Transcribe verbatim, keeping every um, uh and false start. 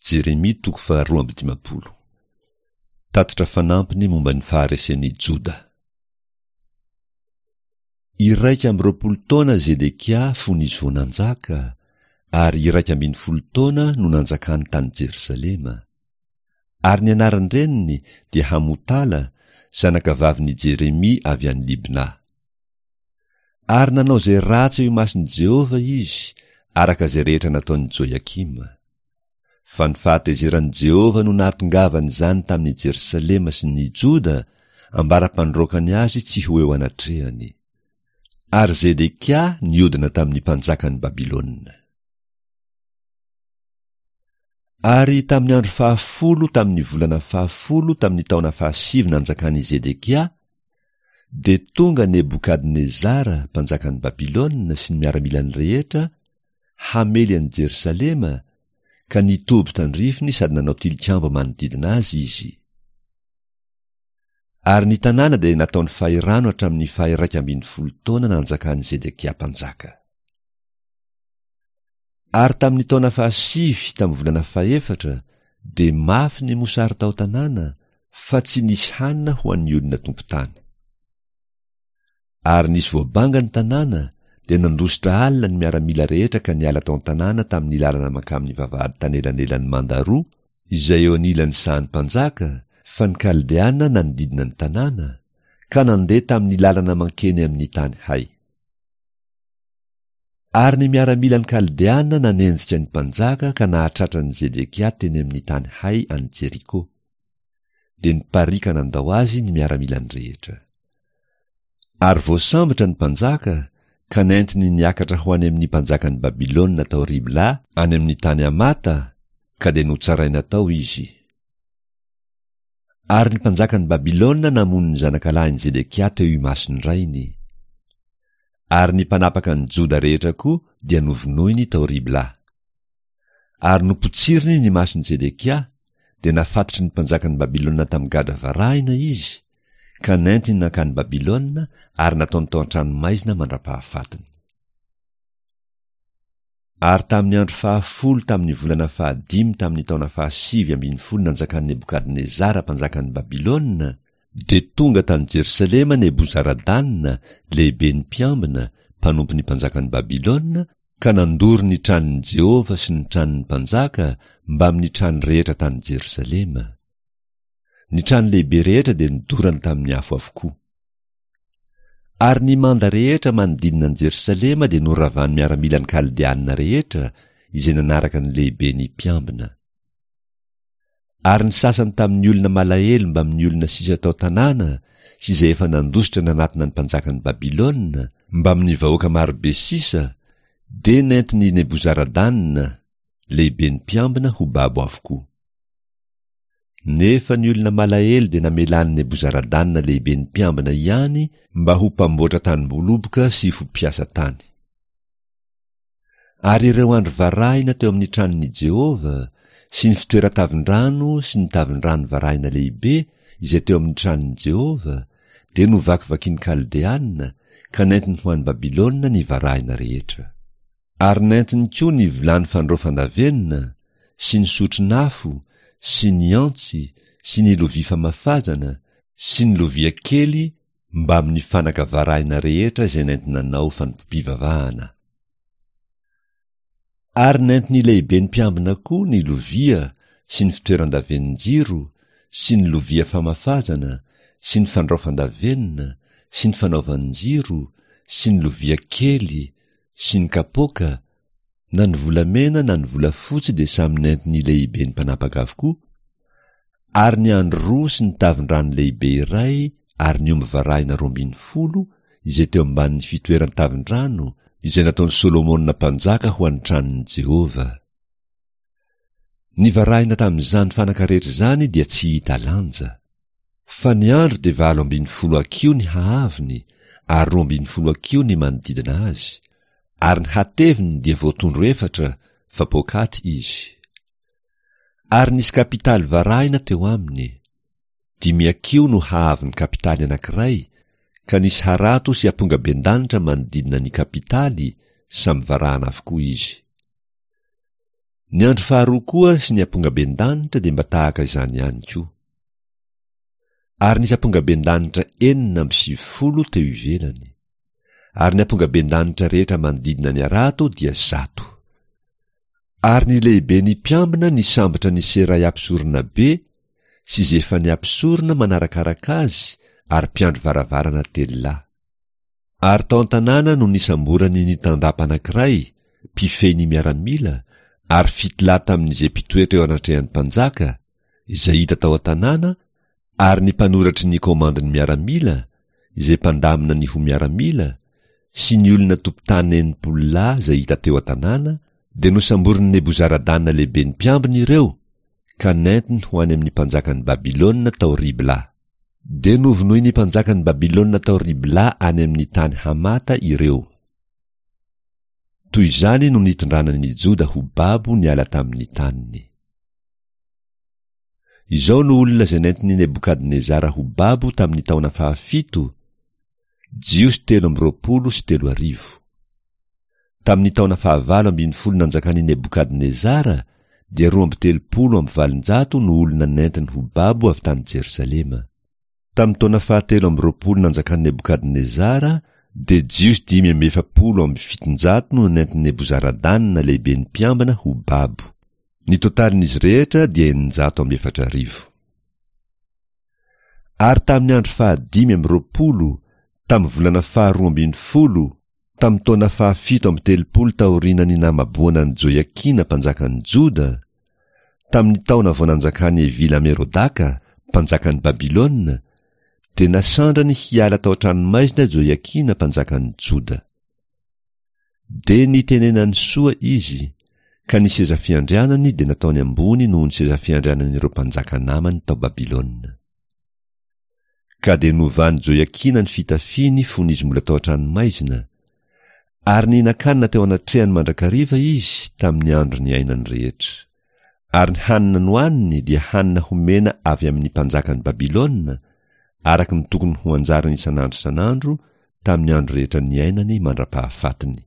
Jeremia toko faharoa amby dimampolo. Tatitra fanampiny momba ny faharesen'i Joda. Iraika amby roapolo taona Zedekia fony izy vao nanjaka, ary iraika ambin'ny folo taona no nanjakany tany Jerosalema. Ary ny anaran-dreniny dia Hamotala, zanakavavin'i Jeremia avy any Libna. Ary nanao izay ratsy eo imason'i Jehovah izy, araka izay rehetra nataon'i Joiakima. Fa ny fahatezeran'i Jehovah no nahatongavan'izany tamin'i Jerosalema sy ny Joda, ambara-pandroakany azy tsy ho eo anatrehany. Ary Zedekia niodina tamin'ny mpanjakan'i Babylona. Ary tamin'ny andro fahafolo tamin'ny volana fahafolo tamin'ny taona fahasivy nanjakan'i Zedekia, dia tonga Nebokadnezara mpanjakan'i Babylona sy ny miaramilany rehetra hamely an'i Jerosalema, ka nitoby tandrifiny sady nanao tilikambo manodidina azy izy. Ary ny tanàna dia nataony fahirano hatramin'ny faha-iraika ambin'ny folo taona nanjakan'i Zedekia mpanjaka. Ary tamin'ny taona fahasivy tamin'ny volana fahefatra dia mafy ny mosary tao an-tanàna, fa tsy nisy hanina ho an'ny olona tompon-tany. Ary nisy voabanga ny tanàna, dia nandositra alina ny miaramila rehetra ka niala tao an-tanàna tamin'ny lalana mankamin'ny vavahady tanelanelan'ny manda roa, izay eo anilan'ny sahan'ny mpanjaka, fa ny Kaldeana nanodidina ny tanàna, ka nandeha tamin'ny lalana mankeny amin'ny tany hay. Ary ny miaramilan'ny Kaldeana nanenjika ny mpanjaka ka nahatratra an'i Zedekia teny amin'ny tany hay any Jeriko. Dia nipariaka nandao azy ny miaramilany rehetra. Ary voasambotra ny mpanjaka ka nentiny niakatra ho any amin'ny mpanjakan'i Babylona tao Ribla any amin'ny tany Hamata, ka dia notsaraina tao izy. Ary ny mpanjakan'i Babylona namono ny zanakalahin'i Zedekia teo imason-drainy. Ary ny mpanapaka ny Joda rehetra koa dia novonoiny tao Ribla. Ary nopotsiriny ny mason'i Zedekia, dia nafatotry ny mpanjakan'i Babylona tamin'ny gadra varahina izy, ka nentiny nankany Babylona ary nataony tao an-tranomaizina mandra-pahafatiny. Ary tamin'ny andro fahafolo tamin'ny volana fahadimy tamin'ny taona fahasivy ambin'ny folo nanjakan'i Nebokadnezara mpanjakan'i Babylona, dia tonga tany Jerosalema Nebozaradana, lehiben'ny mpiambina, mpanompon'ny mpanjakan'i Babylona, ka nandoro ny tranon'i Jehovah sy ny tranon'ny mpanjaka mbamin'ny trano rehetra tany Jerosalema. Ny trano lehibe rehetra dia nodorany tamin'ny afo avokoa. Ary ny manda rehetra manodidina an'i Jerosalema dia noravan'ny miaramilan'ny Kaldeanina rehetra izay nanaraka ny lehiben'ny mpiambina. Ary ny sasany tamin'ny olona malahelo mbamin'ny olona sisa tao tanàna sy izay efa nandositra nanatona ny mpanjakan'i Babylona mbamin'ny vahoaka marobe sisa dia nentin'i Nebozaradana, lehiben'ny mpiambina, ho babo avokoa. Nefa ny olona malahelo dia namelan'i Nebozaradana lehiben'ny mpiambina ihany mba ho mpamboatra tanim-boloboka sy ho mpiasa tany. Ary ireo andry varahina teo amin'ny tranon'i Jehovah sy ny fitoeran-tavin-drano sy ny tavin-drano varahina lehibe izay teo amin'ny tranon'i Jehovah dia novakivakin'ny Kaldeana ka nentiny ho any Babylona ny varahina rehetra. Ary nentiny koa ny vilany fandraofan-davenona sy ny sotron'afo sy ny antsy sy ny lovia famafazana sy ny lovia kely mbamin'ny fanaka varahina rehetra izay nentinanao fanompoam-pivavahana. Ary nentin'ny lehiben'ny mpiambina koa ny lovia sy ny fitoeran-davenon-jiro sy ny lovia famafazana sy ny fandraofan-davenona sy ny fanaovan-jiro sy ny lovia kely sy ny kapoaka, na ny volamena na ny volafotsy dia samy nentin'ny lehiben'ny mpanapaka avokoa, ary ny andry roa sy ny tavin-drano lehibe iray ary ny omby varahina roa ambin'ny folo izay teo ambanin'ny fitoeran-tavin-drano izay nataon'i Solomona mpanjaka ho an'ny tranon'i Jehovah. Ny varahina tamin'izany fanaka rehetra izany dia tsy hita lanja. Fa ny andry dia valo ambin'ny folo hakiho ny haavony ary roa ambin'ny folo hakiho ny manodidina azy, ary ny hateviny dia voatondro efatra fa poakaty izy. Ary nisy kapitaly varahina teo aminy. Dimy hakiho no haavon'ny kapitaly anankiray, ka nisy harato sy ampongabendanitra manodidina ny kapitaly, samy varahana avokoa izy. Ny andro faharoa koa sy ny ampongaben-danitra dia mba tahaka izany ihany koa. Ary nisy ampongaben-danitra enina amby sivifolo teo ivelany. Ary ny ampongaben-danitra rehetra manodidina ny harato dia zato. Ary ny lehiben'ny mpiambina nisambotra an'i Seraia mpisoronabe sy Zefania mpisorona manarakaraka azy ary mpiandry varavarana telo lahy. Ary tao an-tanàna no nisamborany ny tandapa anankiray, mpifehy ny miaramila, ary fito lahy tamin'izay mpitoetra eo anatrehan'ny mpanjaka, izay hita tao an-tanàna, ary ny mpanoratry ny komandin'ny miaramila, izay mpandamina ny ho miaramila, sy ny olona tompon-tany enimpolo lahy izay hita teo an-tanàna, dia nosamborin'i Nebozaradana lehiben'ny mpiambina ireo, ka nentiny ho any amin'ny mpanjakan'i Babylona tao Ribla. Dia novonoin'ny mpanjakan'i Babylona tao Ribla any amin'ny tany Hamata ireo. Toy izany no nitondrana ny Joda ho babo niala tamin'ny taniny. Izao no olona izay nentin'i Nebokadnezara ho babo tamin'ny taona fahafito, Jiosy telo amby roapolo sy telo arivo. Tamin'ny taona fahavalo ambin'ny folo nanjakan'i Nebokadnezara dia roa amby telopolo amby valonjato no olona nentiny ho babo avy tany Jerosalema. Tamin'ny taona fahatelo amby roapolo nanjakan'i Nebokadnezara dia Jiosy dimy amby efapolo amby fitonjato no nentin'i Nebozaradana lehiben'ny mpiambina ho babo. Ny totalin'izy rehetra dia eninjato amby efatra arivo. Ary tamin'ny andro fahadimy amby roapolo, tamin'ny volana faharoa ambin'ny folo, tamin'ny taona fahafito amby telopolo taorian'ny namaboana an'i Joiakina mpanjakan'ny Joda, tamin'ny taona vao nanjakan'i Evila-Merodaka, mpanjakan'i Babylona, dia nasandrany hiala tao an-tranomaizina Joiakina mpanjakan'ny Joda. Dia nitenenany soa izy, ka ny seza fiandrianany dia nataony ambony noho ny seza fiandrianan'ireo mpanjaka namany tao Babylona. Ka dia novan'i Joiakina ny fitafiany fony izy mbola tao an-tranomaizina, ary nihinan-kanina teo anatrehany mandrakariva izy tamin'ny andro niainany rehetra. Ary ny hanina nohaniny dia hanina homena avy amin'ny mpanjakan'i Babylona, araka ny tokony ho anjarany isan'andro isan'andro tamin'ny andro rehetra niainany mandra-pahafatiny.